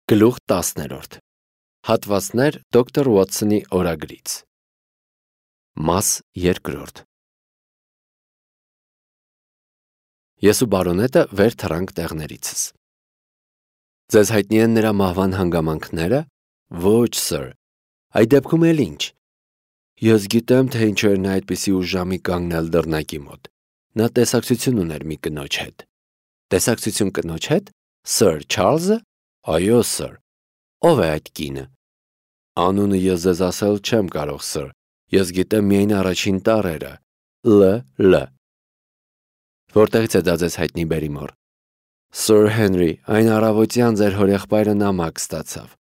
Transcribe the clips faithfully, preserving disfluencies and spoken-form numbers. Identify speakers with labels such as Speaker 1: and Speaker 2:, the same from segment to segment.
Speaker 1: Գլուխ տասներորդ Հատվածներ դոկտոր Ուոթսոնի օրագրից Մաս երկրորդ Ես ու բարոնետը վեր թռանք տեղներիցս։ Ձեզ հայտնի են նրա մահվան հանգամանքները։ Ոչ, սըր, այդ դեպքում էլ ինչ։ Ես գիտեմ, թե ինչու էր նա այդպիսի ուժամի կանգնել դռնակի մոտ։ Նա տեսակցություն ուներ մի կնոջ հետ։ Տեսակցություն կնոջ հետ։ Սըր Չարլզը։ Այո, սըր։ Ո՞վ է այդ կինը։ Անունը ես ձեզ ասել չեմ կարող, սըր։ Ես գիտեմ միայն առաջին տառերը։ Լ. Լ. Որտեղից է դա ձեզ հայտնի, Բերիմոր։ Սըր Հենրի, այն առավոտյան ձեր հորեղբայրը նամակ ստացավ։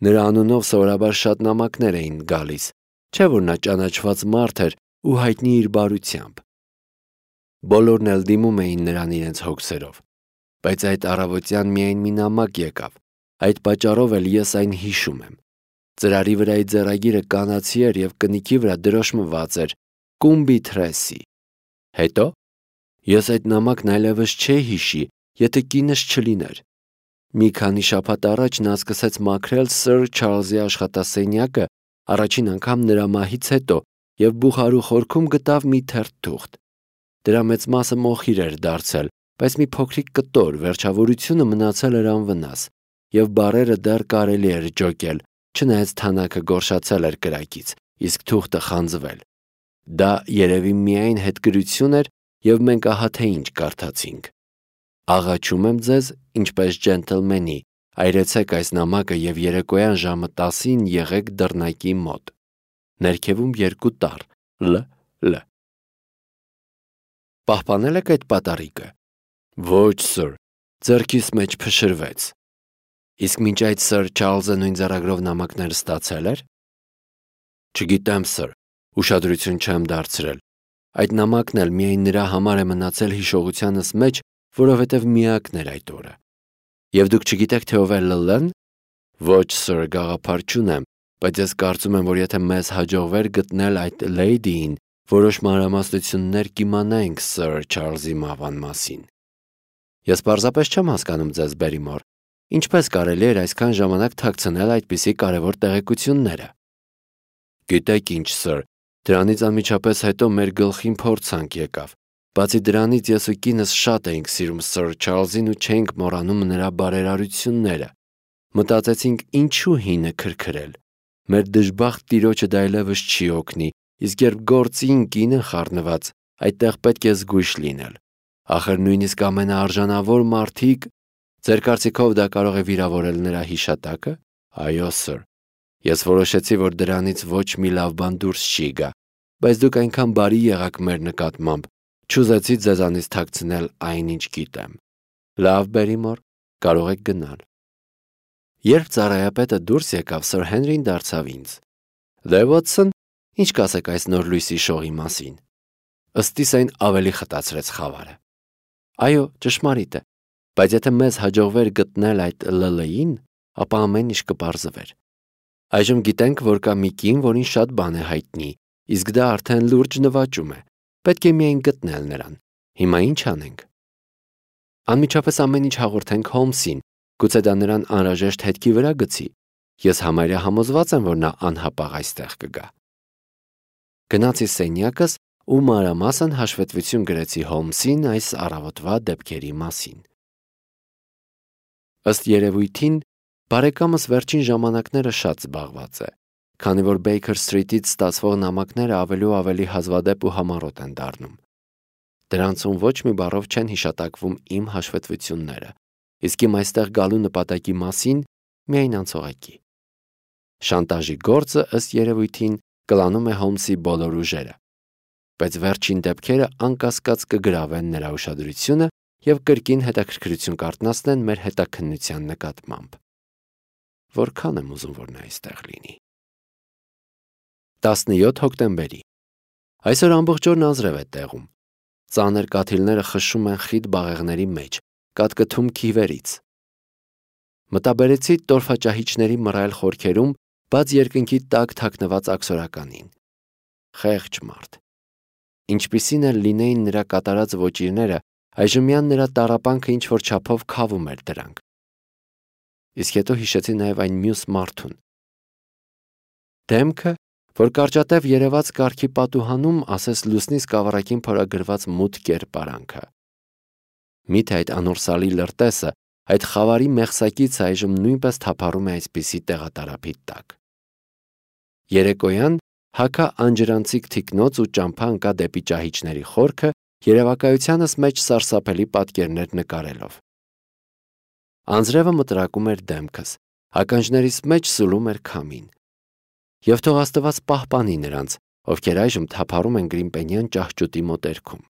Speaker 1: Նրա անունով սովորաբար շատ նամակներ էին գալիս, չէ՞ որ նա ճանաչված մարդ էր ու հայտնի իր բարությամբ։ Բոլորն էլ դիմում էին նրան իրենց հոգսերով, բայց այդ առավոտյան միայն մի նամակ եկավ, այդ պատճառով էլ ես այն հիշում եմ։ Ծրարի վրայի ձեռագիրը կանացի էր և կնիքի վրա դրոշմված էր Կումբի Թրեսի։ Հետո ես այդ նամակն այլևս չէի հիշի, եթե կինս չլիներ։ Մի քանի շաբաթ առաջ նա սկսեց մաքրել սըր Չարլզի աշխատասենյակը առաջին անգամ նրա մահից հետո և բուխարու խորքում գտավ մի թերթ թուղթ։ Դրա մեծ մասը մոխիր էր դարձել, բայց մի փոքրիկ կտոր վերջավորությունը մնացել էր անվնաս, և բառերը դեռ կարելի էր ջոկել, չնայած թանաքը գորշացել էր կրակից, իսկ թուղթը խանձվել։ Դա երևի միայն հետգրություն էր, և մենք ահա թե ինչ կարդացինք։ Աղաչում եմ ձեզ, ինչպես ջենտլմենի, այրեցեք այս նամակը և երեկոյան ժամը տասին եղեք դռնակի մոտ։ Ներքևում երկու տառ. Լ. Լ. Պահպանել եք այդ պատառիկը։ Ոչ, սըր, ձեռքիս մեջ փշրվեց։ Իսկ մինչ այդ սըր Չարլզը նույն ձեռագրով նամակներ ստացել էր։ Չգիտեմ, սըր, ուշադրություն չեմ դարձրել։ Այդ նամակն էլ միայն նրա համար է մնացել հիշողությանս մեջ, որովհետև միակն էր այդ օրը։ Եվ դուք չգիտեք, թե ով է Լլն։ Ոչ, սըր, գաղափար չունեմ, բայց ես կարծում եմ, որ եթե մեզ հաջողվեր գտնել այդ լեյդիին, որոշ մանրամասնություններ կիմանայինք սըր Չարլզի մահվան մասին։ Ես պարզապես չեմ հասկանում ձեզ, Բերիմոր, ինչպես կարելի էր այսքան ժամանակ թաքցնել այդպիսի կարևոր տեղեկությունները։ Գիտեք ինչ, սըր, դրանից անմիջապես հետո մեր գլխին փորձանք եկավ։ Բացի դրանից ես ու կինս շատ էինք սիրում սըր Չարլզին ու չէինք մոռանում նրա բարերարությունները։ Մտածեցինք ինչու հինը քրքրել։ Մեր դժբախտ տիրոջը դա այլևս չի օգնի, իսկ երբ գործին կինը խառնված, այդտեղ պետք է զգույշ լինել։ Ախր նույնիսկ ամենաարժանավոր մարդիկ։ Ձեր կարծիքով դա կարող է վիրավորել նրա հիշատակը։ Այո, սըր։ Ես որոշեցի, որ դրանից ոչ մի լավ բան դուրս չի գա, բայց դուք այնքան բարի եղաք մեր նկատմամբ, չուզեցի ձեզանից թաքցնել այն, ինչ գիտեմ։ Լավ, Բերիմոր, կարող եք գնալ։ Երբ ծառայապետը դուրս եկավ, սըր Հենրին դարձավ ինձ. Դե Ուոթսոն, ինչ կասեք այս նոր լույսի շողի մասին։ Ըստիս այն ավելի խտացրեց խավարը։ Այո, ճշմարիտ է, բայց եթե մեզ հաջողվեր գտնել այդ Լլին, ապա ամեն ինչ կպարզվեր։ Այժմ գիտենք, որ կա մի կին, որին շատ բան է հայտնի, իսկ դա արդեն լուրջ նվաճում է։ Պետք է միայն գտնել նրան։ Հիմա ինչ անենք։ Անմիջապես ամեն ինչ հաղորդենք Հոլմսին, գուցե դա նրան անհրաժեշտ հետքի վրա գցի։ Ես համարյա համոզված եմ, որ նա անհապաղ այստեղ կգա։ Գնացի սենյակս ու մանրամասն հաշվետվություն գրեցի Հոլմսին այս առավոտվա դեպքերի մասին։ Ըստ երևույթին, բարեկամս վերջին ժամանակները շատ զբաղված է, քանի որ Բեյքեր Սթրիթից ստացվող նամակները ավելի ու ավելի հազվադեպ ու համառոտ են դառնում։ Դրանցում ոչ մի բառով չեն հիշատակվում իմ հաշվետվությունները, իսկ իմ այստեղ գալու նպատակի մասին միայն անցողակի։ Շանտաժի գործը ըստ երևույթին կլանում է Հոլմսի բոլոր ուժերը, բայց վերջին դեպքերը անկասկած կգրավեն նրա ուշադրությունը և կրկին հետաքրքրություն կարտնասնեն մեր հետաքննության նկատմամբ։ Որքան եմ ուզում, որ նա այստեղ լինի։ տասնյոթ հոկտեմբերի Այսօր ամբողջ օրն անձրև է տեղում։ Ծանր կաթիլները խշշում են խիտ բաղեղների մեջ, կատկթում քիվերից։ Մտաբերեցի տորֆաճահիճների մռայլ խորքերում բաց երկնքի տակ թաքնված աքսորականին։ Խեղճ մարդ։ Ինչպիսին էլ լինեին նրա կատարած ոճիրները, այժմյան նրա տառապանքը ինչ-որ չափով քավում էր դրանք։ իսկ հետո հիշեցի նաև այն մյուս մարդուն։ Դեմքը, որ կարճատև երևաց կառքի պատուհանում, ասես լուսնի սկավառակին փորագրված մութ կերպարանքը։ Միթե այդ անորսալի լրտեսը, այդ խավարի մեղսակից այժմ նույնպես թափառում է այսպիսի տեղատարափի տակ։ Երեկոյան հագա անջրանցիկ թիկնոց ու ճամփա ընկա դեպի ճահիճների խորքը, երևակայությանս մեջ սարսափելի պատկերներ նկարելով։ Անձրևը մտրակում էր դեմքս, ականջներիս մեջ սուլում էր քամին։ Եվ թող Աստված պահպանի նրանց, ովքեր այժմ թափառում են Գրիմպենյան ճահճուտի մոտերքում։